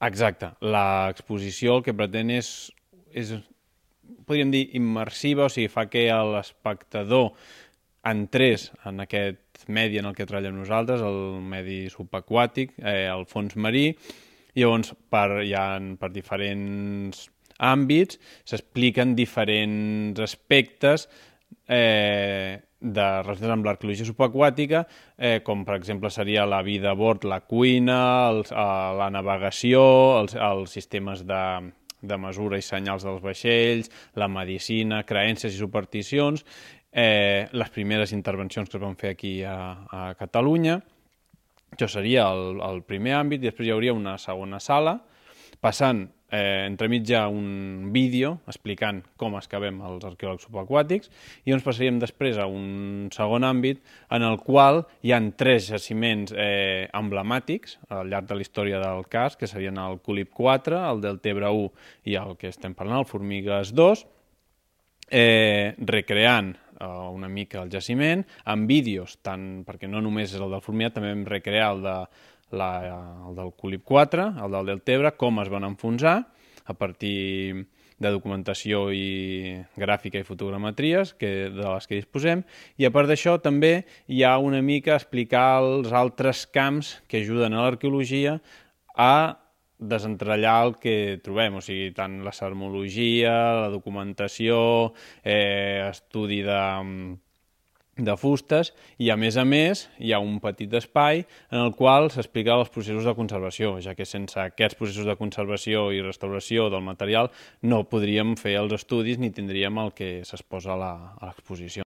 Exacte. L'exposició el que pretén és, podríem dir, immersiva, o sigui, fa que l'espectador entrés en aquest medi en el que treballem nosaltres, el medi subaquàtic, el fons marí. Llavors, per diferents àmbits s'expliquen diferents aspectes relacionats amb l'arqueologia subaquàtica, com per exemple seria la vida a bord, la cuina, la navegació, els sistemes de mesura i senyals dels vaixells, la medicina, creences i supersticions, les primeres intervencions que es van fer aquí a Catalunya. Això seria el primer àmbit, i després hi hauria una segona sala, passant entremig hi ha un vídeo explicant com excavem els arqueòlegs subaquàtics, i ens passaríem després a un segon àmbit en el qual hi ha 3 jaciments emblemàtics al llarg de la història del cas, que serien el Cúlip 4, el Deltebre 1 i el que estem parlant, el Formigues 2, recreant una mica el jaciment, amb vídeos, perquè no només és el del Formiat, també vam recrear el del Cúlip 4, el del Deltebre, com es van enfonsar a partir de documentació i gràfica i fotogrametries de les que disposem, i a part d'això també hi ha una mica explicar els altres camps que ajuden a l'arqueologia a desentrellar el que trobem, o sigui, tant la sermologia, la documentació, estudi de fustes, i a més hi ha un petit espai en el qual s'explica els processos de conservació, ja que sense aquests processos de conservació i restauració del material no podríem fer els estudis ni tindríem el que s'exposa a l'exposició.